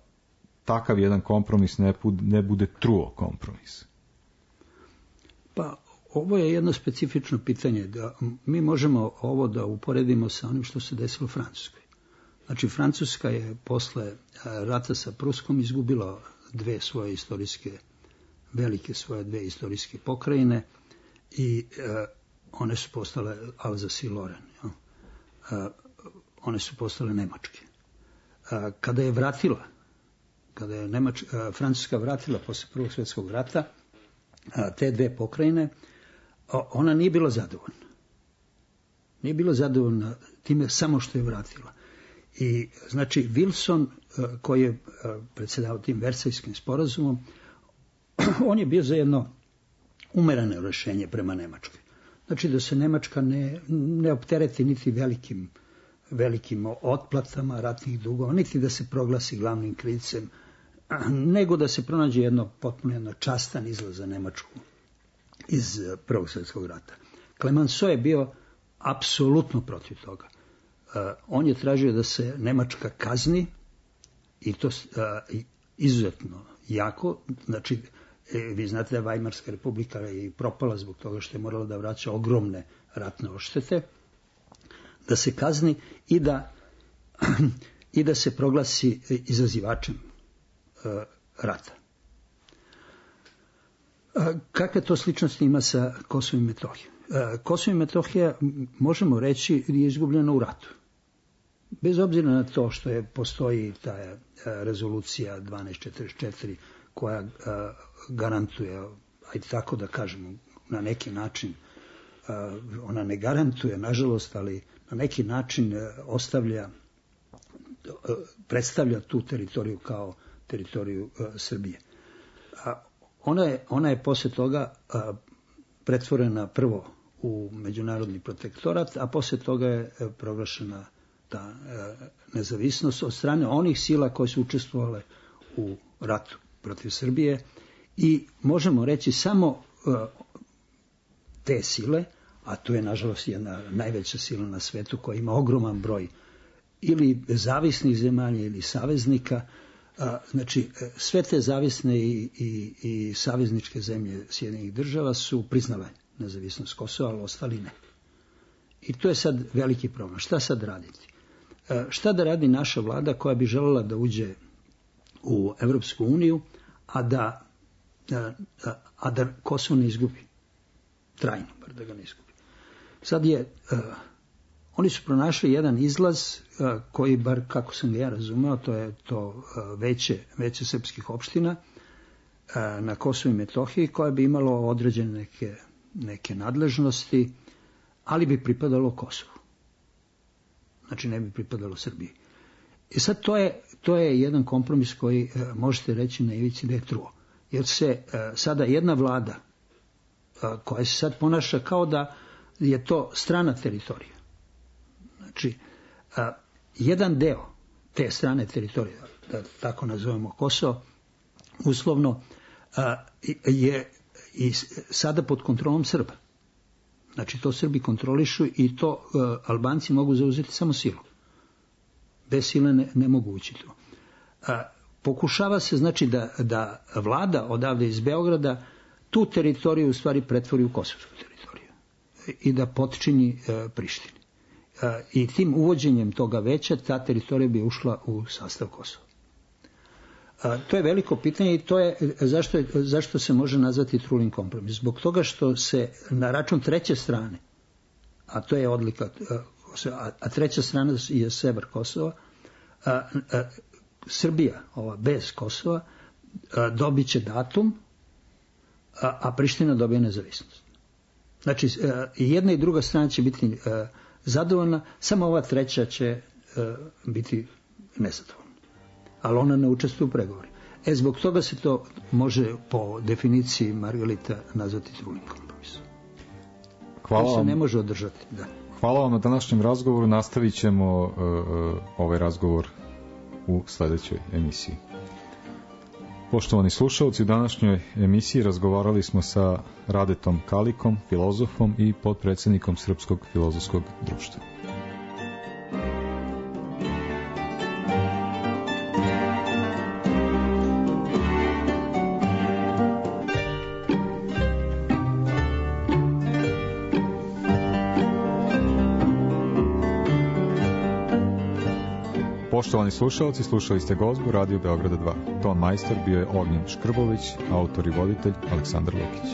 takav jedan kompromis ne bude truo kompromis? Pa ovo je jedno specifično pitanje. Da mi možemo ovo da uporedimo sa onim što se desilo u Francuskoj. Znači Francuska je posle rata sa Pruskom izgubila dve istorijske pokrajine i one su postale Alsace i Lorraine. One su postale nemačke. Kada je Francuska vratila posle Prvog svjetskog rata te dve pokrajine, ona nije bila zadovoljna. Nije bila zadovoljna time samo što je vratila. I znači Wilson, koji je predsjedavao tim Versajskim sporazumom, on je bio za jedno umereno rješenje prema Nemačkoj. Znači da se Nemačka ne optereti niti velikim otplatama ratnih dugova, niti da se proglasi glavnim krivcem, nego da se pronađe potpuno častan izlaz za Nemačku iz Prvog svjetskog rata. Clemenceau je bio apsolutno protiv toga. On je tražio da se Nemačka kazni i to izuzetno jako, znači Vi znate da je Vajmarska republika i propala zbog toga što je morala da vraća ogromne ratne odštete, da se kazni i da se proglasi izazivačem rata. Kakve to sličnosti ima sa Kosovom i Metohijom? Kosovo i Metohija, možemo reći, je izgubljeno u ratu. Bez obzira na to što postoji ta rezolucija 1244 koja garantuje, ajde tako da kažemo, na neki način, ona ne garantuje, nažalost, ali na neki način predstavlja tu teritoriju kao teritoriju Srbije. Ona je posle toga pretvorena prvo u međunarodni protektorat, a posle toga je proglašena ta nezavisnost od strane onih sila koje su učestvovale u ratu protiv Srbije i možemo reći samo te sile, a to je nažalost jedna najveća sila na svetu koja ima ogroman broj ili zavisnih zemalja ili saveznika. Znači, sve te zavisne i savezničke zemlje Sjedinjenih država su priznale nezavisnost Kosova, ali ostali ne. I to je sad veliki problem. Šta sad raditi? Šta da radi naša vlada koja bi željela da uđe u Evropsku uniju, a da Kosovo ne izgubi? Trajno, bar da ga ne izgubi. Sad oni su pronašli jedan izlaz koji, bar kako sam ga ja razumeo, to je to veće srpskih opština na Kosovu i Metohiji, koje bi imalo određene neke nadležnosti, ali bi pripadalo Kosovu. Znači ne bi pripadalo Srbiji. I sad to je jedan kompromis koji možete reći na ivici da je truo. Jer se sada jedna vlada koja se sad ponaša kao da je to strana teritorija. Znači, jedan deo te strane teritorije, da tako nazovemo Kosovo, uslovno je i sada pod kontrolom Srba. Znači, to Srbi kontrolišu i to Albanci mogu zauzeti samo silom. Bez sile ne mogu ući tu. Pokušava se, znači, da vlada odavde iz Beograda tu teritoriju u stvari pretvori u kosovsku teritoriju i da potčini Prištini. I tim uvođenjem toga veća ta teritorija bi ušla u sastav Kosova. To je veliko pitanje i to je zašto se može nazvati trulim kompromis. Zbog toga što se na račun treće strane, a to je odlika, a treća strana je sever Kosova, Srbija, ova bez Kosova, dobit će datum, a Priština dobije nezavisnost. Znači, jedna i druga strana će biti zadovoljna, samo ova treća će biti nezadovoljna. Ali ona ne učestvuje u pregovorima. Zbog toga se to može po definiciji Margarita nazvati trulim kompromisom. Hvala vam. Se ne može održati. Da. Hvala vam na današnjem razgovoru. Nastavit ćemo ovaj razgovor u sledećoj emisiji. Poštovani slušalci, u današnjoj emisiji razgovarali smo sa Radetom Kalikom, filozofom i potpredsjednikom Srpskog filozofskog društva. Poštovani slušalci, slušali ste gozbu Radio Beograda 2. Ton majstor bio je Ognjen Škrbović, autor i voditelj Aleksandar Lukić.